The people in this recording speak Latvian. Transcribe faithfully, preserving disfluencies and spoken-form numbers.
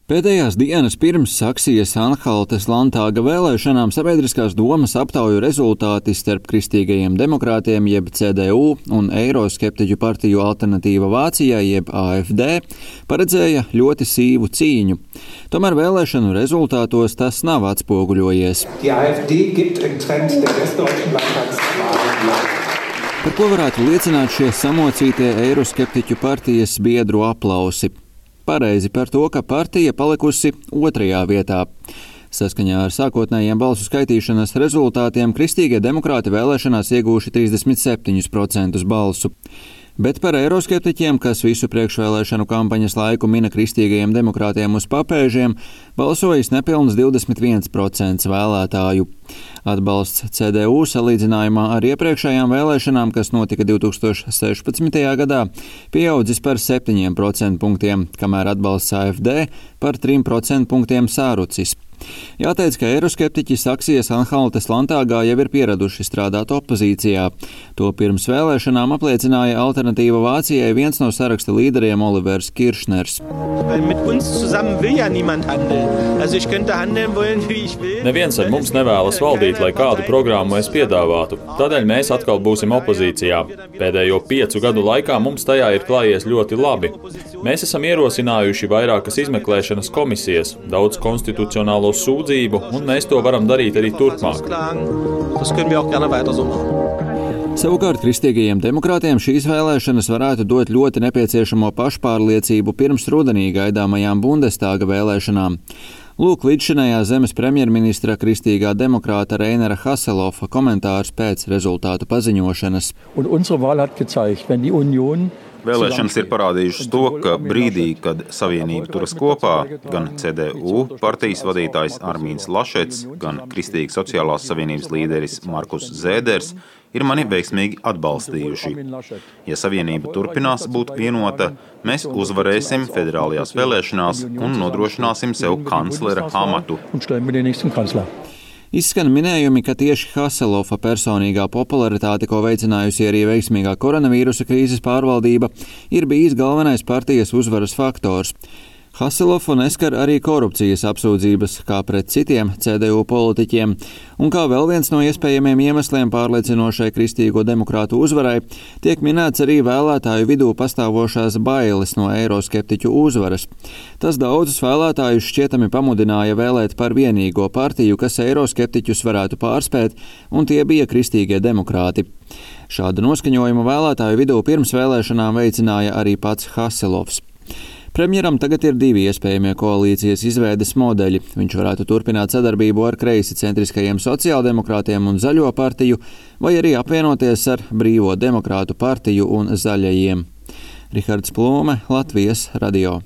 Pēdējās dienas pirms Saksijas-Anhaltes Landtāga vēlēšanām sabiedriskās domas aptauju rezultāti starp kristīgajiem demokrātiem jeb C D U un eiroskeptiķu partiju Alternatīva Vācijai jeb A F D paredzēja ļoti sīvu cīņu. Tomēr vēlēšanu rezultātos tas nav atspoguļojies. Par ko varētu liecināt šie samocītie eiroskeptiķu partijas biedru aplausi? Pareizi par to, ka partija palikusi otrajā vietā. Saskaņā ar sākotnējiem balsu skaitīšanas rezultātiem kristīgie demokrāti vēlēšanās iegūši trīsdesmit septiņus procentus balsu. Bet par eiroskeptiķiem, kas visu priekšvēlēšanu kampaņas laiku mina kristīgajiem demokrātiem uz papēžiem, balsojis nepilns divdesmit viens procents vēlētāju. Atbalsts C D U salīdzinājumā ar iepriekšējām vēlēšanām, kas notika divi tūkstoši sešpadsmitajā gadā, pieaudzis par septiņiem procentpunktiem, kamēr atbalsts A F D par trim procentpunktiem sārucis. Jāteic, ka eiroskeptiķi Saksijas-Anhaltes Landtāgā jau ir pieraduši strādāt opozīcijā. To pirms vēlēšanām apliecināja Alternatīva Vācijai viens no saraksta līderiem Olivers Kiršners. Neviens ar mums nevēlas valdīt, lai kādu programmu es piedāvātu. Tādēļ mēs atkal būsim opozīcijā. Pēdējo piecu gadu laikā mums tajā ir klājies ļoti labi. Mēs esam ierosinājuši vairākas izmeklēšanas komisijas, daudz konstitucionālo sūdzību, un mēs to varam darīt arī turpmāk. Savukārt kristīgajiem demokrātiem šīs vēlēšanas varētu dot ļoti nepieciešamo pašpārliecību pirms rudenī gaidāmajām Bundestāga vēlēšanām. Lūk, līdzšinējā zemes premjerministra kristīgā demokrāta Reinera Haselofa komentārs pēc rezultātu paziņošanas. Vēlēšanas ir parādījušas to, ka brīdī, kad Savienība turas kopā, gan C D U partijas vadītājs Armīns Lašets, gan Kristīgi sociālās savienības līderis Markus Zēders ir mani veiksmīgi atbalstījuši. Ja Savienība turpinās būt vienota, mēs uzvarēsim federālajās vēlēšanās un nodrošināsim sev kanclera amatu. Izskan minējumi, ka tieši Haselofa personīgā popularitāte, ko veicinājusi arī veiksmīgā koronavīrusa krīzes pārvaldība, ir bijis galvenais partijas uzvaras faktors. Haselofu neskar arī korupcijas apsūdzības, kā pret citiem C D U politiķiem, un kā vēl viens no iespējamiem iemesliem pārliecinošai kristīgo demokrātu uzvarai, tiek minēts arī vēlētāju vidū pastāvošās bailes no eiroskeptiķu uzvaras. Tas daudzus vēlētājus šķietami pamudināja vēlēt par vienīgo partiju, kas eiroskeptiķus varētu pārspēt, un tie bija kristīgie demokrāti. Šādu noskaņojumu vēlētāju vidū pirms vēlēšanām veicināja arī pats Haselofs. Premjeram tagad ir divi iespējamie koalīcijas izveides modeļi. Viņš varētu turpināt sadarbību ar kreisi centriskajiem sociāldemokrātiem un Zaļo partiju, vai arī apvienoties ar Brīvo demokrātu partiju un Zaļajiem. Rihards Plūme, Latvijas radio.